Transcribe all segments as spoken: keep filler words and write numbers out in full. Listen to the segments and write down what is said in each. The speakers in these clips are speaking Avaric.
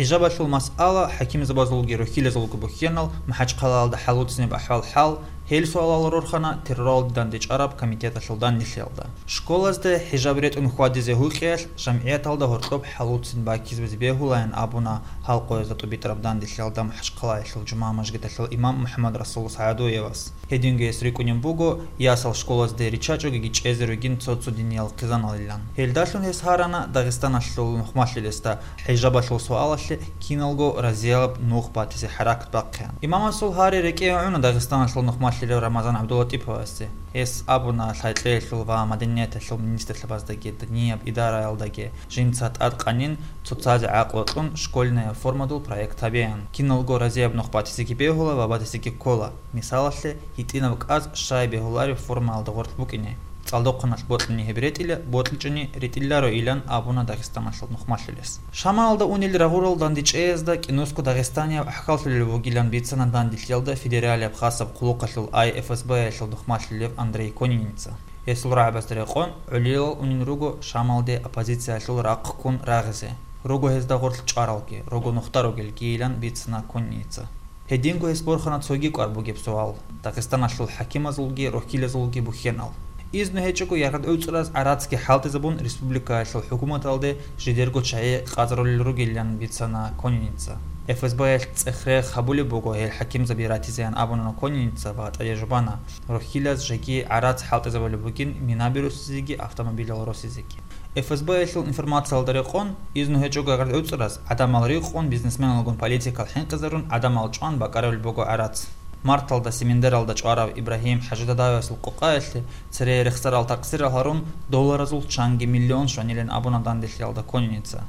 ХӀижабалъул масъала, хӀакимзабазулги рухьилазулги бухьенал, МахӀачхъалаялда хӀалуцинеб ахӀвал-хӀал, гьел суалал рорхана терроралде дандечӀараб комитеталъул данделъиялда. Школазде хӀижаб ретӀун хьвадизе гьукъиялъ, жамгӀияталда гьоркьоб хӀалуцин баккизабизе бегьулаян абуна гьал къоязда тӀубитӀараб данделъиялда МахӀачхъалаялъул жумагӀ мажгиталъул имам МухӀаммад Расул СагӀадуевас. Гьединго гьес рикӀкӀунеб буго, ясал школазде риччачӀогиги чӀезе ругин цо-цо диниял хъизаналилан. Гьелдалъун гьес гьарана Дагъистаналъул нухмалъилесда хӀижабалъул суалалъе киналго разияб нух батизе хӀаракат бахъеян. Имамасул гьари рекӀее гӀуна Дагъистаналъул нухмалъилев Рамазан ГӀабдуллатӀиповасде. Гьес абуна лъай-кьеялъул ва маданияталъул министрлъабаздаги динияб идараялдаги жинца тӀадкъанин цоцазе гӀакълу кьун школьная формадул проект гьабеян. Киналго разияб нух батизеги бегьула ва батизеги ккола. Мисалалъе, гьитӀинаб кӀаз щай бегьулареб формаялда гъоркь букӀине. ЦӀалдохъаналъ бокьани гьеб ретӀила, бокьичӀони ретӀилларо, илан абуна Дагъистаналъул нухмалъилес. Шамалалда унел рагъурал дандечӀеязда кӀинусго дагъистанияб ахӀкаллъулел вугилан бицана данделъиялда федералияб хасаб хъулухъалъул ай ФСБ-ялъул нухмалъилев Андрей Конница. Гьесул рагӀабазда рекъон, гӀолилал унел руго Шамалде оппозициялъул рахъ ккун рагъизе. Руго гьезда гъорлъ чӀваралги, руго нухда ругелгийилан бицана Конница. Гьединго гьес борхана цоги кӀвар бугеб суал, Дагъистаналъул хӀакимазулги рухьилазулги бухьенал. Изну гьечӀого яргъад гӀуцӀраз гӀарацги хӀалтӀизабун республикаялъул хӀукуматалде жидерго чагӀи къазарулел ругилан бицана Конница. ФСБ-ялъ цӀех-рех гьабулеб буго гьел хӀакимзаби ратизеян абуна Конница ва тӀаде жубана, рухьилаз жеги гӀарац хӀалтӀизабулеб бугин, мина бирусизеги автомобилал росизеги. ФСБ-ялъул информациялда рекъон, изну гьечӀого яргъад гӀуцӀраз гӀадамал рикъун, бизнесменалгун политикал хӀинкъизарун, гӀадамал чӀван бакӀарулел буго гӀарац. Марталда Семендералда чӀварав Ибрагьим ХӀажидадавасул къокъаялъе цере рехсарал такъсирал гьарун, долларазул чанги миллион щванилан абуна данделъиялда Конница.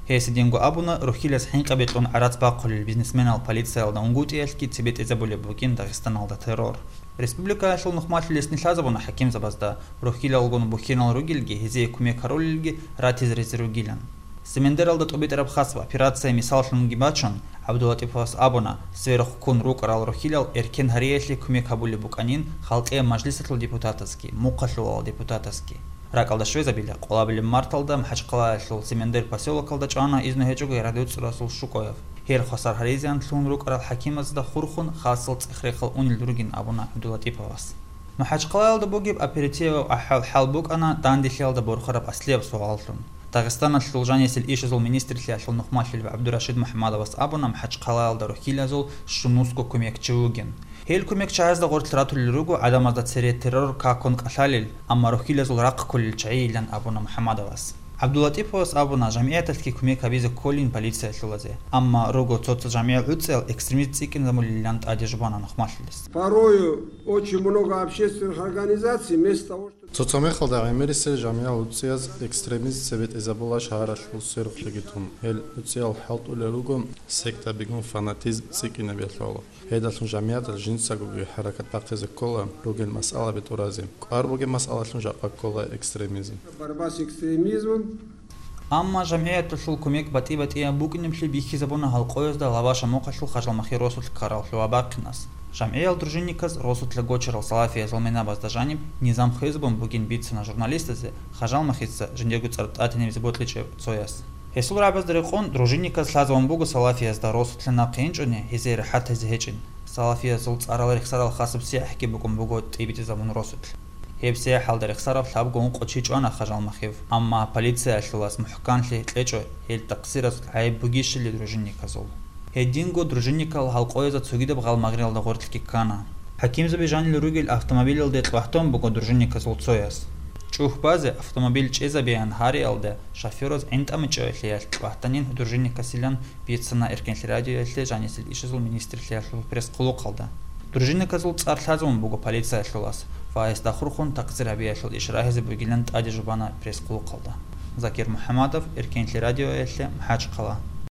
Гьес гьединго абуна, рухьилаз хӀинкъаби кьун гӀарац бахъулел бизнесменал полициялда унгутӀиялъги цебетӀезабулеб бугин Дагъистаналда террор. Республикаялъул нухмалъилесни лъазабуна хӀакимзабазда, рухьилалгун бухьенал ругелги гьезие кумек гьарулелги ратизаризе ругилан. Семендералда тӀубитӀараб хасаб операция мисаллъунги бачун, ГӀабдуллатӀиповас абуна, сверухъ ккун рукӀарал рухьилал эркен гьариялъе кумек гьабулеб букӀанин халкъияб мажлисалъул депутатасги, мухъалъулал депутатасги. РакӀалда щвезабила, къолабилеб марталда МахӀачхъалаялъул Семендер посёлокалда чӀвана изну гьечӀого яргъад гӀуцӀрасул ШукӀоев. Гьел хвасар гьаризеян лъун рукӀарал хӀакимазда хурхун, хасал цӀех-рехал унел ругин абуна ГӀабдуллатӀиповас. МахӀачхъалаялда бугеб оперативаб ахӀвал-хӀал букӀана данделъиялда борхараб аслияб суаллъун. Дагъистаналъул жанисел ишазул министрлъиялъул нухмалъилев ГӀабдурашид МухӀаммадовас абуна МахӀачхъалаялда рухьилазул щунусго кумекчи вугин. Гьел кумекчагьазда гъорлъ ратулел руго гӀадамазда цере террор какун кӀалъалел, амма рухьилазул рахъ кколел чагӀийилан абуна МухӀаммадовас. ГӀабдуллатӀиповас абуна, жамгӀияталъги кумек гьабизе кколин полициялъулазе, амма руго цо-цо жамгӀиял гӀуцӀиял экстремист цӀикӀкӀинабулилан тӀаде жубана нухмалъилес. Порою очень много общественных организаций вместо того, чтобы Цо-цо мехалда гӀемерисел жамгӀиял гӀуцӀияз экстремизм цебетӀезабула шагьаралъул сверухълъиги тун. Гьел гӀуцӀиял хӀалтӀулел руго сектабигун фанатизм цӀикӀкӀинабиялъул. Гьедалъун жамгӀияталъ жинцагоги хӀаракат бахъизе ккола ругел масъалаби тӀуразе. КӀвар бугеб масъалалъун жакъа ккола экстремизм. Борьба с экстремизмом. Амма жамгӀияталъул кумек батӀи-батӀияб букӀинаблъи бихьизабуна гьалкъоязда Лаваша мухъалъул Хажалмахъе росулъ ккараллъугьа бахъинас. ЖамгӀиял дружинниказда росулъа гочарал салафиязул минабазда жаниб низам хвезабун бугин бицана журналистазе Хажалмахъица жиндирго цӀар тӀатинабизе бокьичӀев цояс. Гьесул рагӀабазда рекъон, дружинниказ лъазабун буго салафиязда росулъа нахъе инчӀони гьезие рахӀат гьезе гьечӀин. Салафиязул цӀарал рехсарал хасаб сияхӀги букӀун буго тӀибитӀизабун росулъ. Гьеб сияхӀалда рехсараб лъабго ункъо чи чӀвана Хажалмахъев, амма полициялъулас мухӀканлъи кьечӀо гьел такъсиразул гӀайиб бугищали дружинниказул. Гьединго дружинникал гьалкъоязда цогидаб гъалмагъриялда гъоркьги ккана. ХӀакимзаби жанил ругел автомобилалде кьвагьтун буго дружинниказул цояс. ЧӀухь базе автомобиль чӀезабеян гьариялда шофёраз гӀинтӀамичӀоялъе ялъ кьвагьтанин дружинникасилан бицана Эркенлъи радиоялъе жанисел ишазул министрлъиялъул пресс-хъулухъалда. Дружинниказул цӀар лъазабун буго полициялъулас ва гьесда хурхун такъсир гьабиялъул иш рагьизе бугилан тӀаде жубана пресс-хъулухъалда. Закир МухӀаммадов, Эркенлъи радиоялъе, МахӀачхъала.